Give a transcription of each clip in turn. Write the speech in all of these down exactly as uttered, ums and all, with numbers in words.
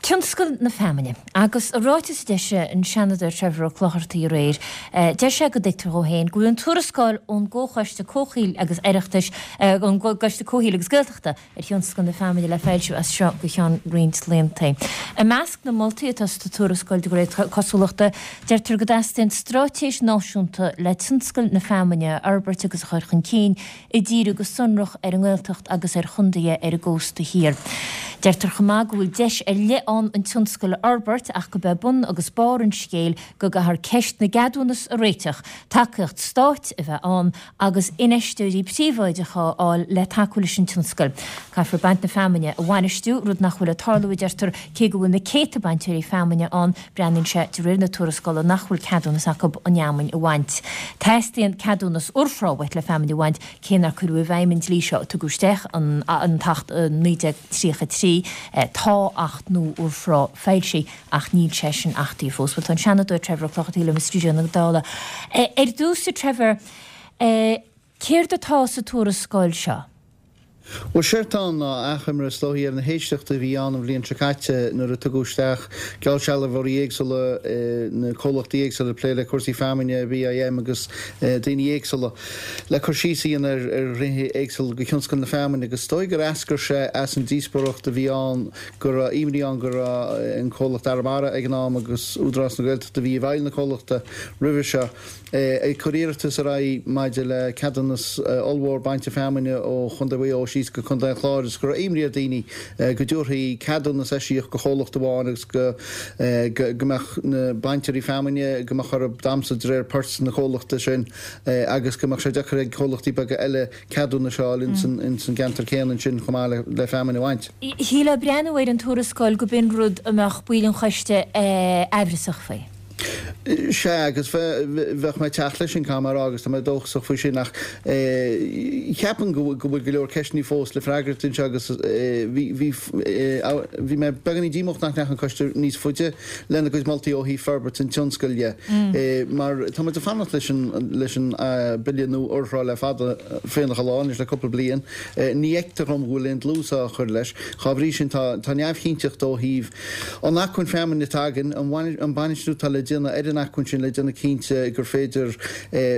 Tionscal na feamainne. Agus i ráiteas a d'eisigh an Seanadóir Trevor Ó Clochartaigh aréir, deir sé go dtuigtear dhó féin go bhfuil an tuarascáil ón gComhchoiste Comhshaoil agus Oireachtais, ón gCoiste Comhshaoil agus Gaeltachta ar thionscal na feamainne le foilsiú as seo go ceann roinnt laethanta. I measc na moltaí atá sa tuarascáil de réir cosúlachta, deirtear go dteastaíonn straitéis náisiúnta le tionscal na feamainne a fhorbairt agus a chur chun cinn, ag díriú go sonrach ar an nGaeltacht agus ar chontaetha ar an gcósta thiar. Deirtear chomh maith go bhfuil deis ar leith ann an tionscal a fhorbairt ach gurb é bun agus barr an scéil go gcaithfear ceist na gceadúnas a réiteach, tacaíocht stáit a bheith ann agus infheisteoirí príobháideacha a fháil le tacú leis an tionscal. Caithfear baint na feamainne a bhainistiú, rud nach bhfuil ag tarlú, a deirtear, cé go bhfuil na céadta bainteoirí feamainne ann, breathnaíonn sé de réir na tuarascála nach bhfuil ceadúnas acu an fheamainn a bhaint. Teastaíonn ceadúnas urthrá uait le feamainn a bhaint, cé nár cuireadh i bhfeidhm an dlí seo a tugadh isteach an tAcht naoi déag tríocha a trí. Tá Acht nua Urthrá foilsithe ach níl sé sin achtaithe fós. Bhuel, tá an Seanadóir Trevor Ó Clochartaigh liom i stiúideo na Dála. Ar dtús, a Trevor, céard atá sa tuarascáil seo? Bhuel, séard atá ann ná achoimre is dóichí ar na héisteachtaí a bhí ann an bhliain seo caite nuair a tugadh isteach geallsealbhóirí éagsúla, na comhlachtaí éagsúla ag plé le cúrsaí feamainne, BIM agus daoine éagsúla, le cur síos a dhéanamh ar ghnéithe éagsúla de thionscal na feamainne agus is dóigh gur eascair sé as an díospóireacht a bhí ann go raibh imní ann go raibh an comhlacht Arramara ag an am agus Údarás na Gaeltachta a bhí i bhfeighil na comhlachta roimhe seo ag cur iarratas ar aghaidh maidir le ceadúnas ollmhór bainte feamainne ó Chontae Mhaigh Eo síos go Contae an Chláir agus go raibh imní ar dhaoine go dtabharfaí ceadúnas eisiach go chomhlacht amháin agus go go mbeadh na bainteoirí feamainne go mbeadh orthu damhsa de réir poirt na comhlachta sin agus go mbeadh sé deacair ag comhlachtaí beaga eile ceadúnais a fháil ins an gceantar céanna ansin chomh maith le feamainn a bhaint. Shílfeá ag breathnú ar an tuarascáil go b'in rud a mbeadh baill an choiste aimhreasach faoi. Sea, agus bheadh mé ag teacht leis sin, caithfidh mé a rá, agus tá mé dóchasach faoi sin, ach ceapaim go bhfuil go leor ceisteanna fós le freagairt anseo agus bhí, bhí, bhí mé beagáinín díomách nach ndeachaigh an coiste níos faide lena gcuid moltaí ó thaobh forbairt an tionscail dhe, mar tá muid ag fanacht leis an, leis an Bille nua Urthrá le fada féineach an lá anois, le cúpla bliain. Ní fheictear dhom go bhfuil aon dlús á chur leis. Dhá bhrí sin, tá, tá neamhchinnteacht ó thaobh An acmhainn feamainne atá againn, an bainistiú atá le déanamh ar an acmhainn sin le déanamh cinnte gur féidir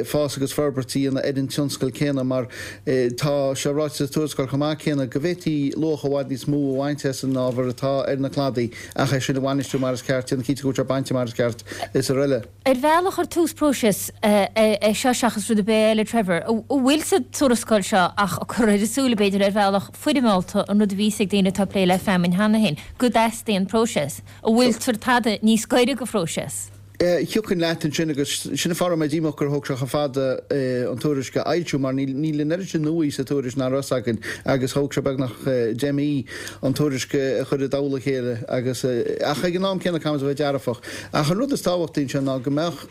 fás agus forbairt a dhéanamh ar an tionscal céanna mar tá sé ráite sa tuarascáil chomh maith céanna go bhféadfaí luach i bhfad níos mó a bhaint as an ábhar atá ar na cladaí ach é sin a bhainistiú mar is ceart, déanamh cinnte go bhfuil sé bainte mar is ceart is araile. Ar bhealach ar tús próisis é seo seachas rud ar bith eile, Trevor, an bhfuil sa tuarascáil seo ach ag cur ar a súile b'fhéidir ar bhealach foirmeálta an rud a bhí a fhios ag daoine atá ag plé le feamainn cheana féin, go dteastaíonn próiseas. An bhfuiltear tada níos gaire go phróiseas? Thiocfainn leat ansin agus sin an fáth a raibh mé díomách gur thóg sé chomh fada an tuairisc a fhoilsiú mar níl an oiread sin nua sa tuairisc nach raibh a fhios againn agus thóg sé beagnach deich mí an tuairisc a chur i dtoll a chéile agus ach ag an am céanna caithfimid a bheith dearfach. Ach an rud is tábhachtaí anseo ná go mbeadh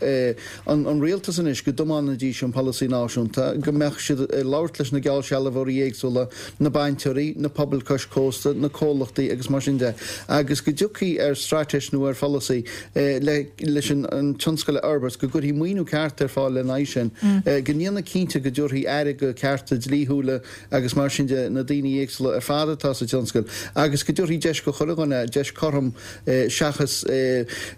an rialtas anois, go dtiomáinfidís an polasaí náisiúnta, go mbeadh siad ag labhairt leis na geallsealbhóirí éagsúla, na bainteoirí, na pobail cois cósta, na comhlachtaí agus mar sin de, agus go dtiocfaí ar straitéis nó ar pholasaí leis an tionscal a fhorbairt, go gcuirfí maoiniú ceart ar fáil lena aghaidh sin, go ndéanfaí cinnte go dtabharfaí aire do chearta dlíthiúla agus mar sin de na daoine éagsúla ar fad atá sa tionscal agus go dtabharfaí deis go chuile dhuine, deis cothrom seachas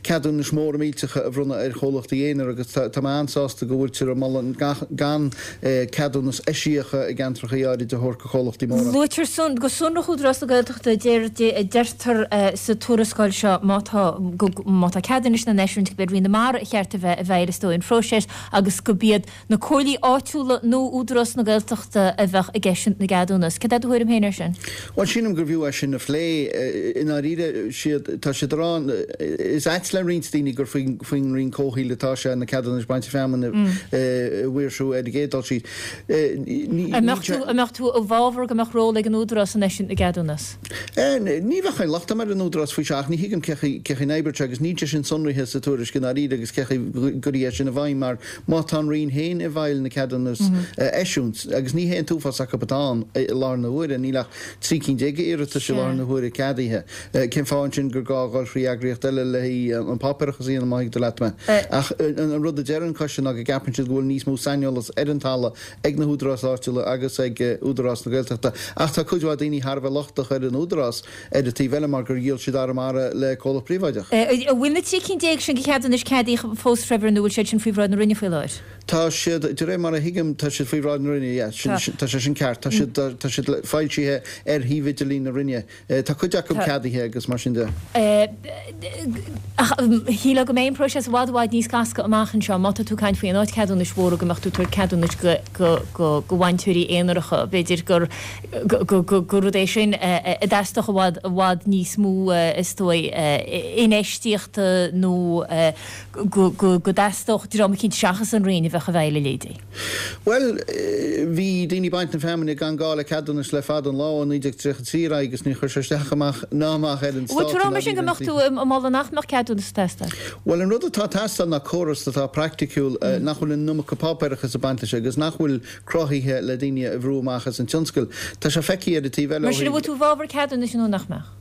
ceadúnais mhóra millteacha a bhronnadh ar chomhlachtaí aonair agus tá mé an-sásta go bhfuiltear ag moladh gan ceadúnas eisiacha i gceantracha áirid a thabhairt go chomhlachtaí móra. Luaitear go sonrach Údarás na Gaeltachta, deirtear sa tuarascáil seo má tá má tá ceadúnais á n-eisiúint gurb é Roinn na Mara a cheart a bheith i bhfeighil is dóigh an phróiseas agus gurb iad na comhairlí áitiúla nó Údarás na Gaeltachta a bheadh ag eisiúint na gceadúnas. Cad é do thuairim féin air sin? Bhuel, sílim gurbh fhiú é sin a phlé. I ndáiríre, siad, tá siad ag rá, is ait le roinnt daoine gur faoin Roinn Comhshaoil atá sé, na ceadúnais bainte feamainne a mhaoirsiú ar an gcéad dul síos. An mbeadh tú, an mbeadh tú i bhfabhar go mbeadh ról ag an Údarás in eisiúint na gceadúnas? Ní bheadh aon locht agam ar an Údarás faoi seo ach ní thuigim cén chaoi, cén chaoi a n-oibreodh sé agus níl sé sin sonraithe sa tuairisc. i ndáiríre agus cén chaoi a gcuirfí é sin i bhfeidhm mar má tá an Roinn féin i bhfeighil na ceadúnas a eisiúint, agus ní hé an t-uafás acu atá ann i láthair na huaire, níl ach trí cinn déag iarratais i láthair na huaire ceadaithe. Cén fáth ansin gur gá dhul thrí eagraíocht eile le haghaidh an páipéarachas a dhéanamh má thuigtear leat mé. Ach an rud a deir an coiste ná go gceapann siad go bhfuil níos mó saineolas ar an talamh ag na húdaráis áitiúla agus ag Údarás na Gaeltachta. Ach tá cuid mhaith daoine thar a bheith lochtach ar an Údarás ar an taobh eile mar gur dhíol siad Arramara le comhlacht príobháideach. An bhfuil na trí cinn déag sin de cheadúnais ceadaithe fós, Trevor, nó bhfuil siad sin faoi bhráid na Roinne faoi láthair? Tá siad, de réir mar a thuigim, tá siad faoi bhráid na Roinne, yeah, sin, tá sé sin ceart. Tá siad, tá siad foilsithe ar shuíomh idirlín na Roinne. Tá cuid acu ceadaithe agus mar sin de. Ach shílfeá go mbeidh an próiseas i bhfad i bhfad níos gasta amach anseo má tá tú ag caint faoi an áit ceadúnais mhóra go mbeadh tú ag tabhairt ceadúnais go go go go bhainteoirí aonaracha. B'fhéidir gur go go gur rud é sin a dteastódh i bhfad i bhfad níos mó is dóigh infheistíochta nó go go go dteastódh dream eicínt seachas an Roinn a bheadh i bhfeighil a leithéidí. Bhuel, bhí daoine ag baint na feamainne gan gá le ceadúnas le fada an lá ó naoi déag tríocha trí ar aghaidh agus níor chuir sé isteach amach ná amach ar an Bhfuil tú ag rá mar sin go mbeadh tú ag moladh nach mbeadh ceadúnas ag teastáil? Bhuel, an rud atá ag teastáil ná córas atá praiticiúil, nach bhfuil an iomarca páipéarachas ag baint leis agus nach bhfuil cruthaithe le daoine a bhrú amach as an tionscal. Tá sé feicthe ar an taobh eile ó Mar sin, an bhfuil tú i bhfabhar ceadúnais nó nach mbeadh?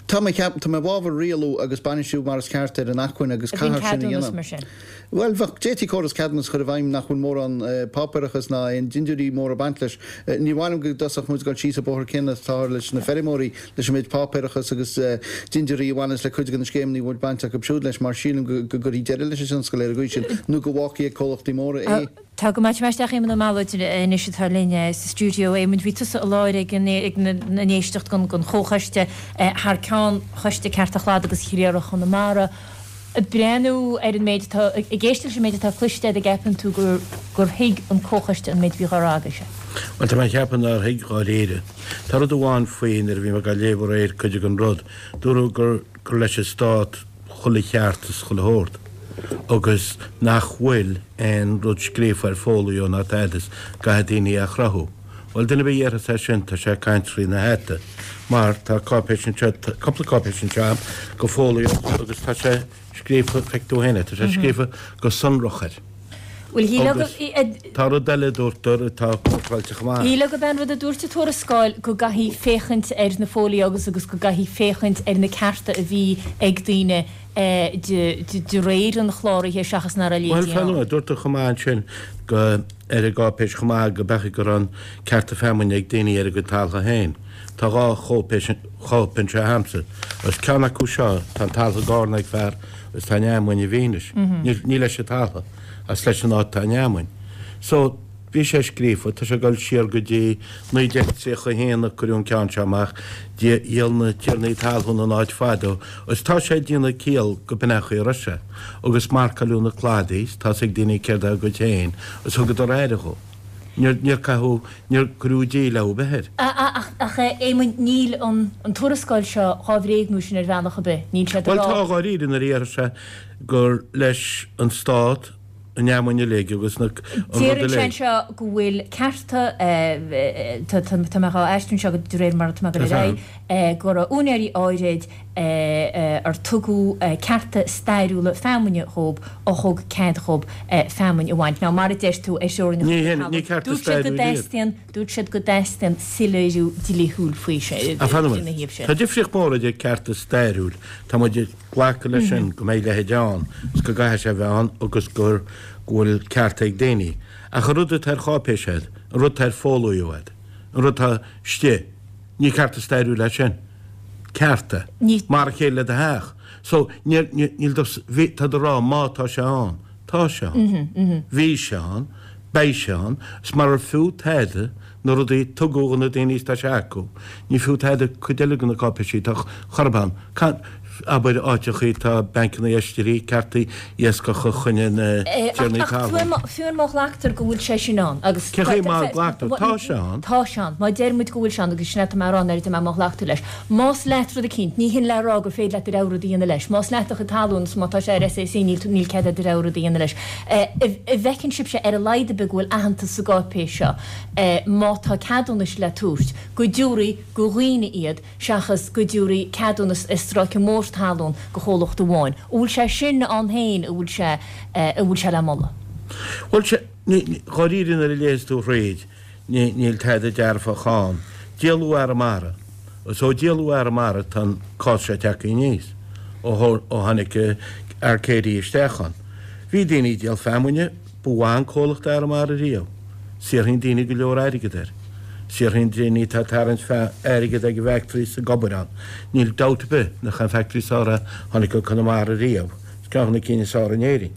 Tá mé, tá mé i bhfabhar rialú agus bainistiú mar is ceart ar an acmhainn agus A bhíonn caithfear sin a ceadúnas dhéanamh. mar sin. Bhuel, bheadh, d'fhéadfaí córas ceadúnas a chur i bhfeidhm nach bhfuil mórán páipéarachas ná aon dindiúirí móra ag baint leis. Ní mhaith liom go dtosódh muid ag dul síos an bóthar céanna atáthar leis na feirmeoirí, leis an méid páipéarachas agus dindiúirí a bhaineas le cuid de na scéimeanna a bhfuil baint acu siúd leis, mar sílim go gcuirfí deireadh leis an tionscal ar an gcaoi sin nó go bhfágfaí ag comhlachtaí móra é. Tá go maith. Isteach Éamonn Ó Mealláid anois atá linn sa stiúideo. Éamonn, bhí tusa i láthair ag an éisteacht den Chomhchoiste thar ceann Choiste Cearta Chladaigh agus Chléireach Chonamara. Ag breathnú ar an méid atá, ag éisteacht leis an méid atá cloiste agat, an gceapann tú gur gur thuig an Comhchoiste an méid a bhí dhá rá agaibhse? Bhuel, tá mé ag ceapadh nár thuig dháiríre. Tá rud amháin faoi nuair a bhí mé ag léamh aréir cuid den rud, dúradh gur gur leis an Stát chuile cheart is chuile shórt agus nach bhfuil aon rud scríofa ar fóilió ná tada is caithfidh daoine é a chruthú. Bhuel, duine ar bith a dhéarfas é sin, tá sé ag caint trí na hata, mar tá cáipéis anseo, tá cúpla cáipéis anseo agam go fóilió agus tá sé scríofa, feic tú féin é, tá sé scríofa go sonrach air. Bhuel, shílfeá go, Agus tá rud eile a dúirtear atá cócráilte chomh maith. Shílfeá gurb é an rud a dúirt an tuarascáil go gcaithfí féachaint ar na fóilió agus agus go gcaithfí féachaint ar na cearta a bhí ag daoine de réir an chláraithe seachas nach raibh Bhuel, leithéidí fan ann. nóiméad, dúirtear chomh maith ansin go, ar an gcáipéis chomh maith go b'fhéidir go raibh an cearta feamainne ag daoine ar a gcuid taltha féin. Tá dhá chóipéis, chóip anseo agamsa, agus ceann acu seo, tá an taltha i gcárna ag fear agus tá an fheamainn i bhfianaise. Níl, ní leis an taltha, ach is leis an áit atá an fheamainn. So, Bhí sé scríofa, tá sé ag dul siar go dtí naoi déag tríocha a haon a cuireadh an ceann seo amach, dhíol na tiarnaí talún an áit fadó, agus tá sé ag déanamh ciall go b'in é an chaoi a raibh sé. Agus marcáileadh na cladaí, tá 'fhios ag daoine céard é a gcuid féin, agus thugadar aire dhó. Níor, níor caitheadh, níor cuireadh díleá ar bith air. Ach, ach, a Éamoinn, níl an, an tuarascáil seo dhá bhréagnú sin ar bhealach ar bith. Níl sé ag Bhuel, rá. tá, dháiríre, nuair a déarfas sé gur leis an Stát, an fheamainn uilig agus na, an rud Deireann sé uilig. anseo go bhfuil cearta, tá mé dhá aistriú anseo de réir mar atá mé ag dul ar aghaidh, go raibh úinéirí áirid ar tugadh cearta stairiúla feamainne dhób a thug cead dhób feamainn a bhaint. Now mar a deir tú ar theorainneacha Ní na hin, ní talún, cearta dúirt siad go stairiúil iad. dteastaíonn, dúirt siad go dteastaíonn soiléiriú dlíthiúil faoi sin, Ach fan ina nóiméad. thaobh sin. Tá difríocht mór idir cearta stairiúil, tá muid ag glacadh leis sin go mbeidh leithéid ann is go gcaithfidh sé a bheith ann agus gur go bhfuil cearta ag daoine. Ach an rud atá ar cháipéis agat, an rud atá ar fóilió agat, an rud atá istigh, ní cearta stairiúil é sin. Cearta. Ní. Mar a chéile le do theach. So, níl, níl, níl do, bhí, tá do rá má tá sé ann. Tá sé ann. Bhí sé ann. Beidh sé ann. Is marar fiú tada na rudaí tugadh do na daoine is tá sé acu. Ní fiú tada cuid eile de na cáipéisí atá chor ar bith ann. Ca, abair, áiteachaí tá bancanna oistéirí, ceartaí iascach a choinne na tiarnaí Ach talún. fiú má ghlactar go bhfuil sé sin ann agus. Cén chaoi má ghlactar? Tá sé ann. Tá sé ann. Má deir muid go bhfuil sé ann agus sin é atá mé a rá nuair a deir mé má ghlactar leis. Más leat rud eicínt, ní hin le rá gur féidir leat do rogha rud a dhéanamh leis. Más leat do chuid talún is má tá sé ar S A C níl níl cead agat do rogha rud a dhéanamh leis. An bhfeiceann sibhse ar a laghad ar bith go bhfuil aitheantas sa gcáipéis seo má tá ceadúnais le tabhairt, go dtabharfaí go dhaoine iad seachas go dtabharfaí ceadúnas i stráice mór tabhairt talún go chomhlacht amháin. An bhfuil sé sin ann féin, an bhfuil sé an bhfuil sé le moladh? Bhuel, sé, dháiríre nuair a léas tú thríd, níl tada dearfach ann. Díoladh Arramara. Is ó díoladh Arramara tá an cás seo tagtha aníos, ó tháinig Arcadia isteach ann. Bhí daoine ag díol feamainne, ba mhaith an comhlacht Arramara riamh. Saothraíonn daoine go leor airgead air. Saothraíonn daoine atá ag tarraingt airgead ag an bhfactory is ag obair ann. Níl dabht ar bith nach an factory is fearr a tháinig go Conamara riamh. Is ceann de na cinn is fearr in Éirinn.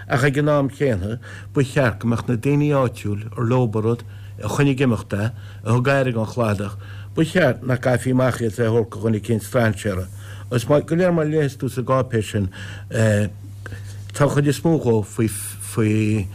Ach ag an am chéanna, ba cheart go mbeadh na daoine áitiúil ar leob an rud, a choinnigh ag imeacht é, a thug aire don chladach, ba cheart nach gcaithfí amach iad le thabhairt do dhuine eicínt strainséara. Is go léir mar a léifeas tú sa gcáipéis sin, tá an chuid is mó dhó faoi faoi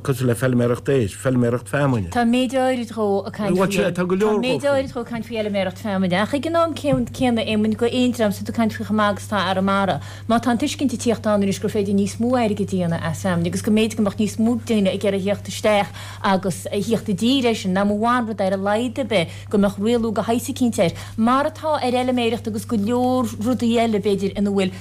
cosúil le feilméaracht éisc, feilméaracht feamainne. Tá méid áirid dhó ag caint faoi Tá go leor dhó. Tá méid áirid dhó ag caint faoi fheilméaracht feamainne. Ach ag an am céanna, Éamoinn, go aon dream, is tú ag caint faoi chomh maith agus atá Arramara, má tá an tuiscint ag tíocht ann anois gur féidir níos mó airgid a dhéanamh as feamainn agus go mb'fhéidir go mbeadh níos mó daoine ag iarraidh a thíocht isteach agus a thíocht i dtír air sin, nach mba mhaith an rud é ar a laghad ar bith go mbeadh rialú de shaghas eicínt air, mar atá ar fheilméireacht agus go leor rudaí eile, b'fhéidir, ina bhfuil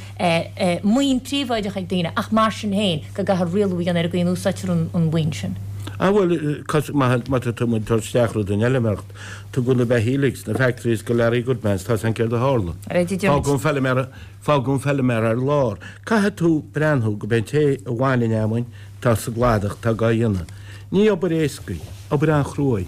maoin príobháideach ag daoine, ach mar sin féin, go gcaithfear rialú a dhéanamh ar an gcaoi a n-úsáidtear an mhaoin sin. Ah bhuel, má tá tú ag tabhairt isteach rud den fheilméaracht, tugadh na beithígh sna factories go Larry Goodman, tá 's a'm céard a tharla. Fágadh an feilméara, fágadh an feilméara ar lár. Caithfidh tú breathnú go b'é an té a bhain an fheamainn atá sa gcladach atá dhá dhéanamh. Ní obair éasca í, obair an-chrua í,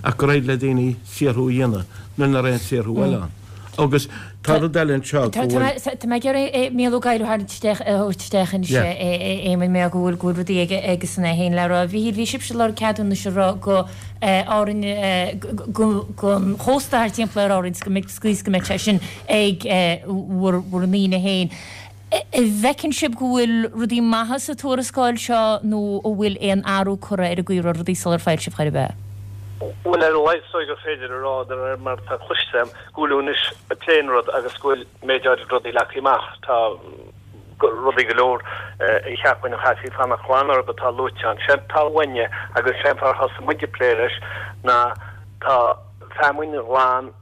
ach gur éirigh le daoine saothrú a dhéanamh nuair nach raibh aon saothrú eile ann. Agus tá rud eile anseo go bhfuil. Tá mé ag iarraidh Mícheál Ó Gadhra a tharraingt isteach, a thabhairt isteach anois, a Éamoinn, mar go bhfuil, go bhfuil rudaí aige aigesan é féin le rá. A Mhíchíl, bhí sibhse ag lorg ceadúnais ag rá go Árainn, go, gon chósta thart timpeall ar Árainn, go mbeidh, scaois go mbeidh sé sin ag bhur, bhur ndaoine féin. An bhfeiceann sibh go bhfuil rudaí maithe sa tuarascáil seo nó an bhfuil aon athrú curtha ar an gcaoi a raibh rudaí sular foilsíodh chor ar bith? Bhuel, ar a laghad is dóigh gur féidir a rá, de réir mar atá cloiste agam, go bhfuil anois ag plé an rud agus go bhfuil méid áirid rudaí leagtha amach. Tá rudaí go leor a cheapfainn a chaithfí fanacht glan orthu atá luaite ann. Séard atá uainne agus sé an fáth ar thosaigh muid ag plé leis ná tá feamainn ghlan,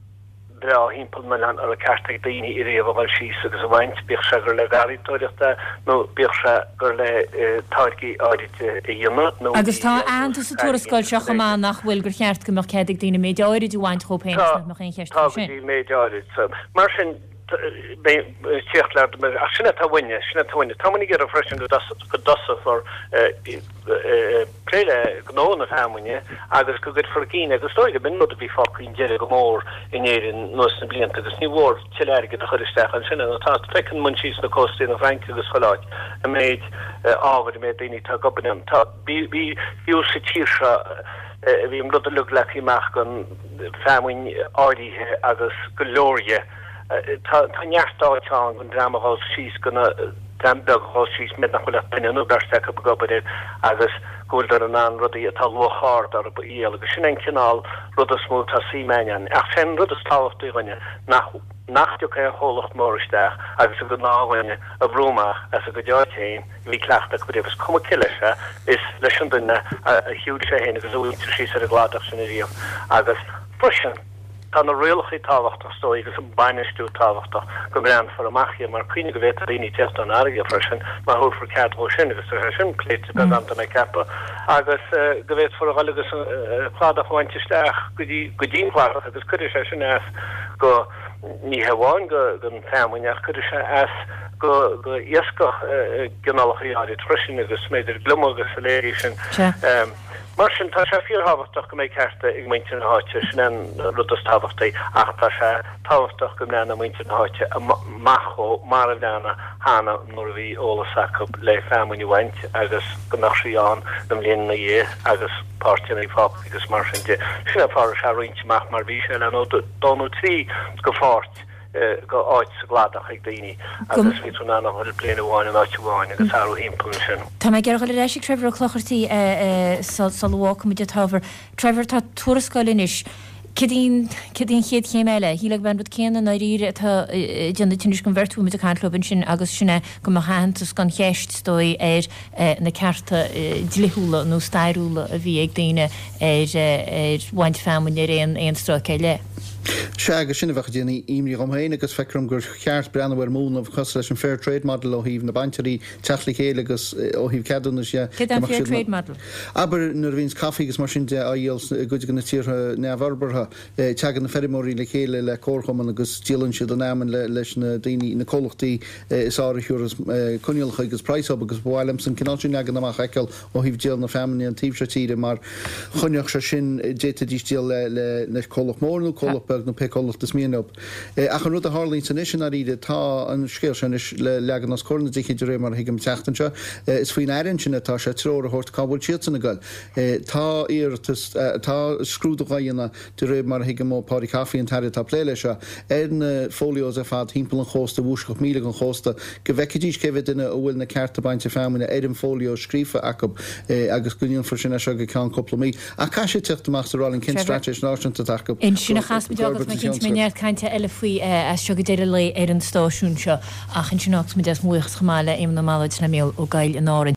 breá thimpeall an oileáin a raibh ceart ag daoine ariamh a dhul síos agus a bhaint, bíodh sé gur le garraíodóireacht é nó bíodh sé gur le táirgí áirid a dhéanamh nó Agus tá aitheantas sa tuarascáil seo chomh maith nach bhfuil, gur cheart go mbeadh cead ag daoine méid áirid a bhaint dhóibh féin Tá, agus nach mbeadh aon cheist tá faoi go sin. dtí méid áirid. Mar sin, beidh tíocht le ach sin atá uainne, sin atá uainne. Tá muid ag iarraidh freisin go dtosófar plé le gnó na feamainne agus go gcuirfear i gcinn, agus is dóigh go b'in rud a bhí fágtha chun deiridh go mór in Éirinn anuas na blianta agus ní mhór tuilleadh airgid a chur isteach ansin nó tá, feiceann muid síos sna cóstaí na Fraince agus chuile áit an méid ábhair, an méid daoine atá ag obair ann. Tá, bhí, bhí, fiú sa tír seo bhí an rud uilig leagtha amach don feamainn áirithe agus go leor dhe. Tá, tá neart áit ann don dream a ghabhas síos go na, dream beag a ghabhas síos, méid nach bhfuil ach duine nó beirt acu ag obair air agus go bhfuileadar in ann rudaí atá luach ard orthu a dhíol agus sin é an cineál rud is mó atá suim againn ann. Ach sé an rud is tábhachtaí dhúinne nach nach dtiocfaidh aon chomhlacht mór isteach agus an gnáthdhuine a bhrú amach as a gcuid áit féin a bhí cleachta acu riamh. Is cuma cé leis é, is leis an duine a shiúil sé féin agus a mhuintir síos ar an gcladach sin ariamh agus freisin, Tá na rialacha tábhachtach is dóigh agus an bainistiú tábhachtach go mbreathnófar amach iad mar cuimhnigh go bhféadfadh daoine teacht ón fharraige freisin má thabharfar cead dhó sin agus tá sé sin pléite beagán tá mé ag ceapadh agus go bhféadfar a dhul agus an cladach a bhaint isteach go dtí go dtí an cladach agus cuirfidh sé sin as go ní hamháin go don feamainn ach cuirfidh sé as go go iascach i gcineálacha áirid freisin agus b'fhéidir gliomaigh agus a leithéidí sin. Mar sin, tá sé fíorthábhachtach go mbeidh cearta ag muintir na háite, sin é an rud is tábhachtaí, ach tá sé tábhachtach go mbreathnóidh muintir na háite amach dhó mar a bhreathnaigh cheana nuair a bhí eolas acu le feamainn a bhaint agus go mbeadh sí ann na mbliain ina dhiaidh agus páirteanna fágtha agus mar sin de. Sin é an fáth a raibh sé roinnte amach mar bhí sé le nó dó nó trí go pháirt. go áit sa gcladach ag daoine agus bhí tú in ann a dhul bliain amháin in áit amháin agus athrú thimpeall ansin. Tá mé ag iarraidh dhul ar ais ag Trevor Ó Clochartaigh sula bhfágfaimid an t-ábhar. Trevor, tá tuarascáil anois. Céard í an, céard í an chéad chéim eile? Shílfeá gurb é an rud céanna i ndáiríre atá ag déanamh tinnis don bheirt a bhfuil muid ag caint leo ansin agus sin é go mbeadh aitheantas gan cheist, is dóigh, ar na cearta dlíthiúla nó stairiúla a bhí ag daoine ar ar bhaint feamainne ar aon aon stráice ar leith. Sea, agus sin a bheadh ag déanamh imní dhom féin agus feictear dom gur cheart breathnú ar múnla cosúil leis an Fair Trade Model ó thaobh na bainteoirí teacht le chéile agus ó thaobh ceadúnais dhe. Céard é an Fair Trade Model? Abair nuair a bhíonns caife agus mar sin de á dhíol i gcuid de na tíortha neamhfhorbartha, teagann na feirmeoirí le chéile le comharchumann agus díolann siad an fheamainn leis na daoine, na comhlachtaí is fearr a thiúrfas coinníollacha agus praghas dhób agus ba mhaith liomsa an cineál sin leagan amach a fheiceáil ó thaobh díol na feamainne an taobh seo tíre mar choinneodh sé sin, d'fhéadfaidís díol le le comhlacht mór nó comhlacht beag nó pé comhlacht is mian leo. Ach an rud a tharlaíonns anois i ndáiríre, tá an scéal seo anois le leagan os comhair na dtithe de réir mar a thuigim an tseachtain seo. Is faoin Aire ansin atá sé treoir a thabhairt cá bhfuil siadsan ag goil. Tá iarratas, tá scrúdú dhá dhéanamh de réir mar a thuigim ó Paudie Coffey, an tAire atá ag plé leis seo, ar na folios ar fad thimpeall an chósta, i bhfoisceacht míle den chósta, go bhfeicfidís cé mhéad duine a bhfuil na cearta bainte feamainne ar an folio scríofa acu agus go ndéanfar sin as seo go ceann cúpla mí. Ach caithfidh sé teacht amach sa Roinn cén straitéis náisiúnta atá acu Ansin a chasfaimid agus tá mé cinnte go mbeidh neart cainte eile faoi as seo go deireadh an lae ar an stáisiún seo. Ach ansin fágfaimid as mo bhuíochas chomh maith le Éamonn Ó Mealláid is le Mícheál Ó Gaill in Árainn.